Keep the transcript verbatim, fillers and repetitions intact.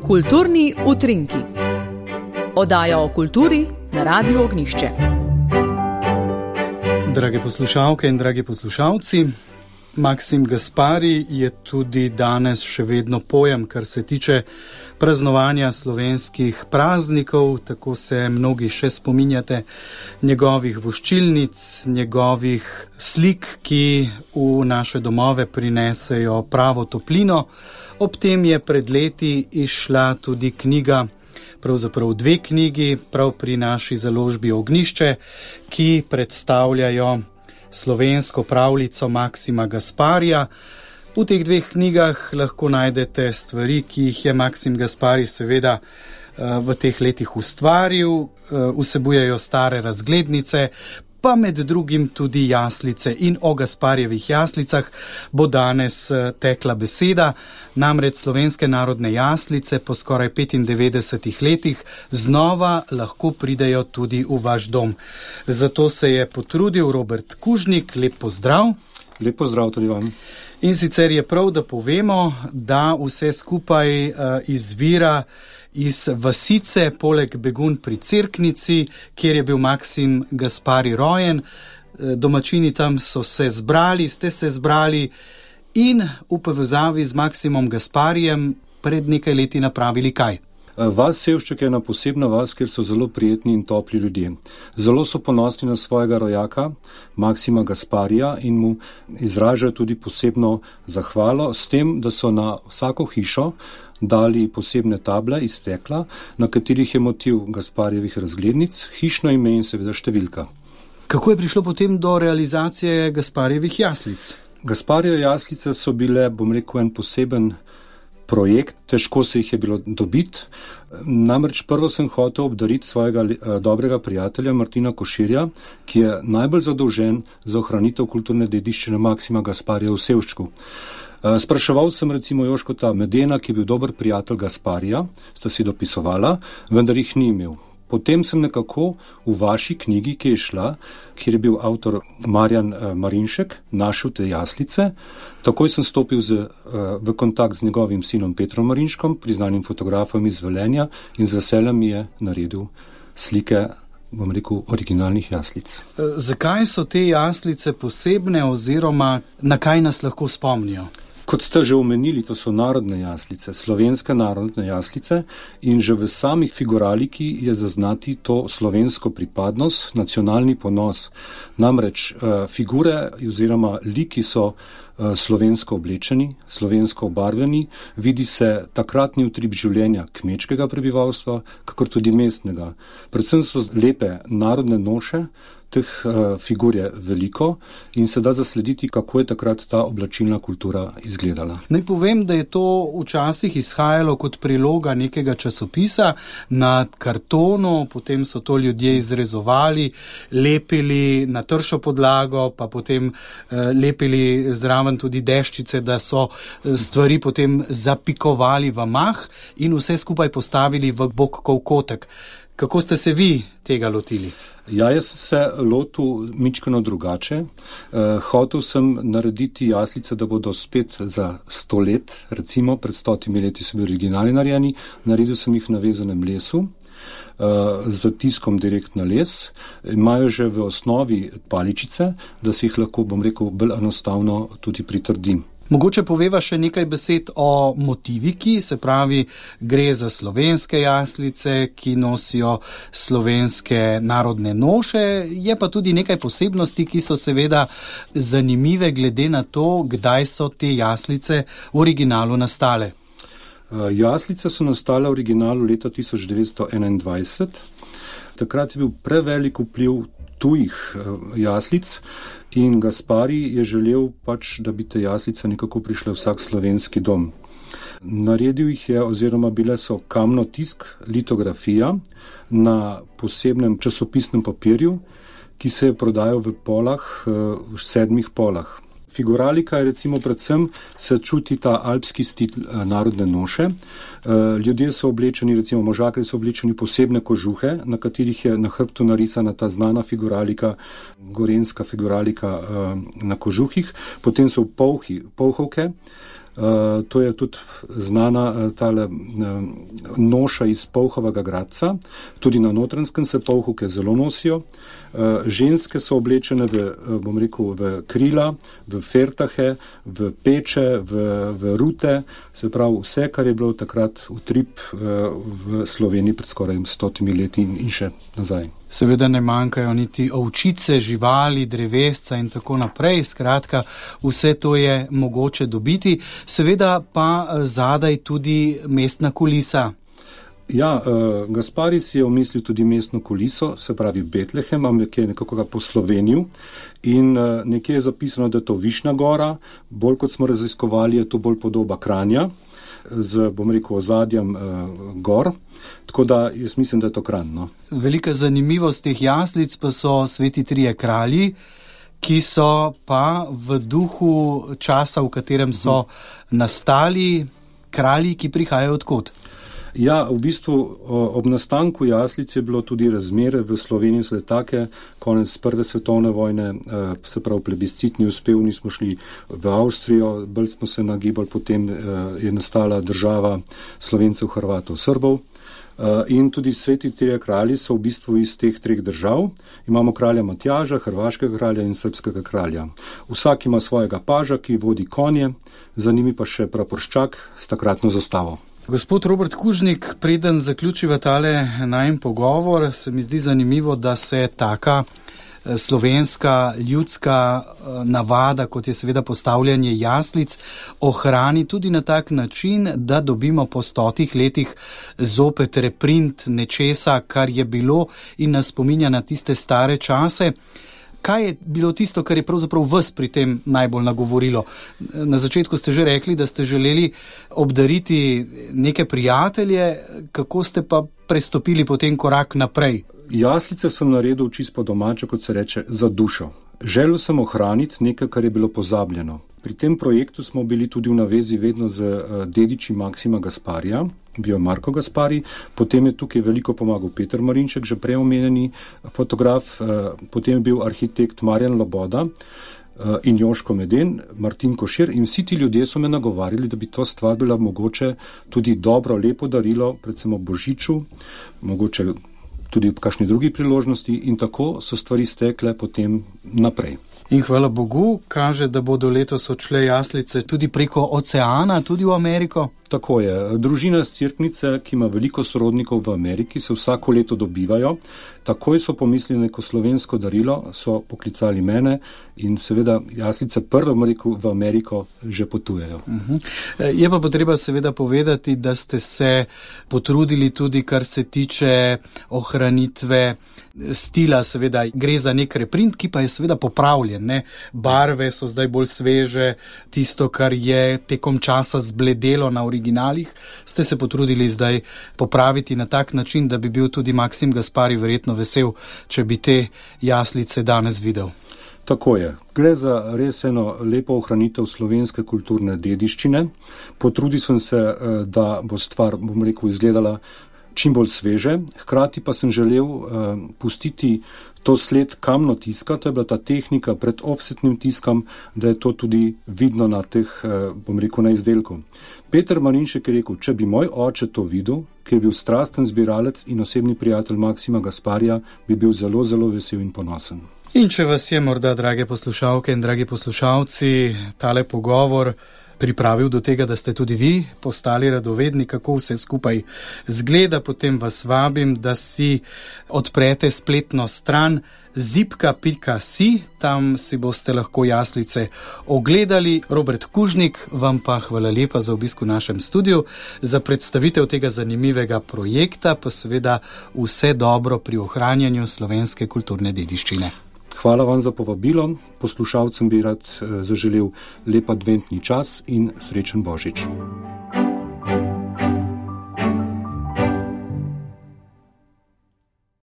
Kulturni utrinki. Oddaja o kulturi na Radiu Ognjišče. Drage poslušalke in dragi poslušalci, Maksim Gaspari je tudi danes še vedno pojem, kar se tiče praznovanja slovenskih praznikov, tako se mnogi še spominjate njegovih voščilnic, njegovih slik, ki v naše domove prinesejo pravo toplino. Ob tem je pred leti izšla tudi knjiga, pravzaprav dve knjigi, prav pri naši založbi Ognjišče, ki predstavljajo slovensko pravljico Maksima Gasparija. V teh dveh knjigah lahko najdete stvari, ki jih je Maksim Gaspari seveda v teh letih ustvaril, vsebujejo stare razglednice, pa med drugim tudi jaslice. In o Gasparjevih jaslicah bo danes tekla beseda, namreč slovenske narodne jaslice po skoraj petindevetdesetih letih znova lahko pridejo tudi v vaš dom. Zato se je potrudil Robert Kužnik, lep pozdrav. Lep pozdrav tudi vam. In sicer je prav, da povemo, da vse skupaj uh, izvira iz vasice, poleg Begunj pri Cerknici, kjer je bil Maksim Gaspari rojen. Domačini tam so se zbrali, ste se zbrali in v povezavi z Maksimom Gasparijem pred nekaj leti napravili kaj? Vas Sevšček je ena posebna vas, kjer so zelo prijetni in topli ljudje. Zelo so ponosni na svojega rojaka, Maksima Gasparija, in mu izražajo tudi posebno zahvalo s tem, da so na vsako hišo dali posebne table iz stekla, na katerih je motiv Gasparjevih razglednic, hišno ime in seveda številka. Kako je prišlo potem do realizacije Gasparjevih jaslic? Gasparjeve jaslice so bile, bom rekel, en poseben projekt, težko se jih je bilo dobiti. Namreč prvo sem hotel obdariti svojega dobrega prijatelja Martina Koširja, ki je najbolj zadolžen za ohranitev kulturne dediščine Maksima Gasparija v Sevščku. Spraševal sem recimo Joškota Medena, ki je bil dober prijatelj Gasparija, sta si dopisovala, vendar jih ni imel. Potem sem nekako v vaši knjigi, ki je šla, kjer je bil avtor Marjan Marinšek, našel te jaslice. Takoj sem stopil z, v kontakt z njegovim sinom Petrom Marinškom, priznanim fotografom iz Velenja, in z veseljem mi je naredil slike, bom rekel, originalnih jaslic. Zakaj so te jaslice posebne oziroma na kaj nas lahko spomnijo? Kot ste že omenili, to so narodne jaslice, slovenske narodne jaslice, in že v samih figuraliki je zaznati to slovensko pripadnost, nacionalni ponos. Namreč figure oziroma liki so slovensko oblečeni, slovensko obarveni, vidi se takratni utrip življenja kmečkega prebivalstva, kakor tudi mestnega. Predvsem so lepe narodne noše, teh uh, figur je veliko in se da zaslediti, kako je takrat ta oblačilna kultura izgledala. Naj povem, da je to včasih izhajalo kot priloga nekega časopisa na kartonu, potem so to ljudje izrezovali, lepili na tršo podlago, pa potem uh, lepili zraven tudi deščice, da so uh, stvari potem zapikovali v mah in vse skupaj postavili v bokkov kotek. Kako ste se vi tega lotili? Ja, jaz sem se lotil mičkeno drugače. Uh, hotel sem narediti jaslice, da bodo spet za sto let, recimo pred stotimi leti so bili originalni narejeni. Naredil sem jih na vezanem lesu, uh, z tiskom direkt na les. Imajo že v osnovi paličice, da se jih lahko, bom rekel, bolj enostavno tudi pritrdim. Mogoče poveva še nekaj besed o motiviki, se pravi, gre za slovenske jaslice, ki nosijo slovenske narodne noše, je pa tudi nekaj posebnosti, ki so seveda zanimive glede na to, kdaj so te jaslice v originalu nastale. Jaslice so nastale v originalu leta tisoč devetsto enaindvajset. Takrat je bil prevelik vpliv tujih jaslic in Gaspari je želel pač, da bi te jaslice nekako prišle vsak slovenski dom. Naredil jih je, oziroma bile so kamnotisk, litografija na posebnem časopisnem papirju, ki se je prodajal v polah, v sedmih polah. Figuralika je recimo predvsem, se čuti ta alpski stil narodne noše. Ljudje so oblečeni, recimo možakri so oblečeni posebne kožuhe, na katerih je na hrbtu narisana ta znana figuralika, gorenska figuralika na kožuhih. Potem so polhi, polhovke, Uh, to je tudi znana uh, tale uh, noša iz polhovega gradca, tudi na Notranjskem se polhu, ki zelo nosijo. Uh, ženske so oblečene v, uh, bom rekel, v krila, v fertahe, v peče, v, v rute, se pravi vse, kar je bilo takrat utrip uh, v Sloveniji pred skoraj stotimi leti in, in še nazaj. Seveda ne manjkajo niti ovčice, živali, drevesca in tako naprej. Skratka, vse to je mogoče dobiti. Seveda pa zadaj tudi mestna kulisa. Ja, uh, Gaspari si je omislil tudi mestno kuliso, se pravi Betlehem, ampak je nekako ga poslovenil in uh, nekje je zapisano, da je to Višnja gora, bolj kot smo raziskovali, je to bolj podoba Kranja, z, bom rekel, ozadjem uh, gor, tako da jaz mislim, da je to Kranj. No. Velika zanimivost teh jaslic pa so sveti trije kralji, ki so pa v duhu časa, v katerem so hmm. nastali, kralji, ki prihajajo odkot. Ja, v bistvu ob nastanku jaslic je bilo tudi razmere v Sloveniji so take, konec prve svetovne vojne, se pravi plebiscitni uspel, nismo šli v Avstrijo, bolj smo se nagibali, potem je nastala država Slovencev, Hrvatov, Srbov. In tudi sveti trije kralji so v bistvu iz teh treh držav. Imamo kralja Matjaža, hrvaškega kralja in srbskega kralja. Vsak ima svojega paža, ki vodi konje, za njimi pa še praporščak s takratno zastavo. Gospod Robert Kužnik, preden zaključiva tale najin pogovor, se mi zdi zanimivo, da se taka slovenska ljudska navada, kot je seveda postavljanje jaslic, ohrani tudi na tak način, da dobimo po stotih letih zopet reprint nečesa, kar je bilo in nas spominja na tiste stare čase. Kaj je bilo tisto, kar je pravzaprav vas pri tem najbolj nagovorilo? Na začetku ste že rekli, da ste želeli obdariti neke prijatelje, kako ste pa prestopili potem korak naprej? Jaslice sem naredil čisto domače, kot se reče, za dušo. Želel sem ohraniti nekaj, kar je bilo pozabljeno. Pri tem projektu smo bili tudi v navezi vedno z dediči Maksima Gasparija, bil je Marko Gaspari, potem je tukaj veliko pomagal Peter Marinšek, že prej omenjeni fotograf, potem je bil arhitekt Marjan Loboda in Joško Meden, Martin Košir in vsi ti ljudje so me nagovarjali, da bi to stvar bila mogoče tudi dobro, lepo darilo, predvsem ob Božiču, mogoče tudi ob kakšni drugi priložnosti in tako so stvari stekle potem naprej. In hvala Bogu, kaže, da bodo letos odšle jaslice tudi preko oceana, tudi v Ameriko. Tako je. Družina z Cerknice, ki ima veliko sorodnikov v Ameriki, se vsako leto dobivajo. Takoj so pomislili neko slovensko darilo, so poklicali mene in seveda jaslice prve v Ameriko že potujejo. Uh-huh. Je pa potreba seveda povedati, da ste se potrudili tudi, kar se tiče ohranitve stila, seveda gre za nek reprint, ki pa je seveda popravljen. Ne? Barve so zdaj bolj sveže, tisto, kar je tekom časa zbledelo na originalih, ste se potrudili zdaj popraviti na tak način, da bi bil tudi Maksim Gaspari verjetno vesel, če bi te jaslice danes videl. Tako je. Gre za res eno lepo ohranitev slovenske kulturne dediščine. Potrudil sem se, da bo stvar, bom rekel, izgledala čim bolj sveže, hkrati pa sem želel uh, pustiti to sled kamno tiska, to je bila ta tehnika pred offsetnim tiskom, da je to tudi vidno na teh, uh, bom rekel, na izdelku. Peter Marinšek je rekel, če bi moj oče to videl, ki je bil strasten zbiralec in osebni prijatelj Maksima Gasparija, bi bil zelo, zelo vesel in ponosen. In če vas je morda, drage poslušalke in dragi poslušalci, tale pogovor pripravil do tega, da ste tudi vi postali radovedni, kako vse skupaj zgleda, potem vas vabim, da si odprete spletno stran zipka pika si, tam si boste lahko jaslice ogledali. Robert Kužnik, vam pa hvala lepa za obisk v našem studiu, za predstavitev tega zanimivega projekta, pa seveda vse dobro pri ohranjanju slovenske kulturne dediščine. Hvala vam za povabilo, poslušalcem bi rad zaželel lep adventni čas in srečen Božič.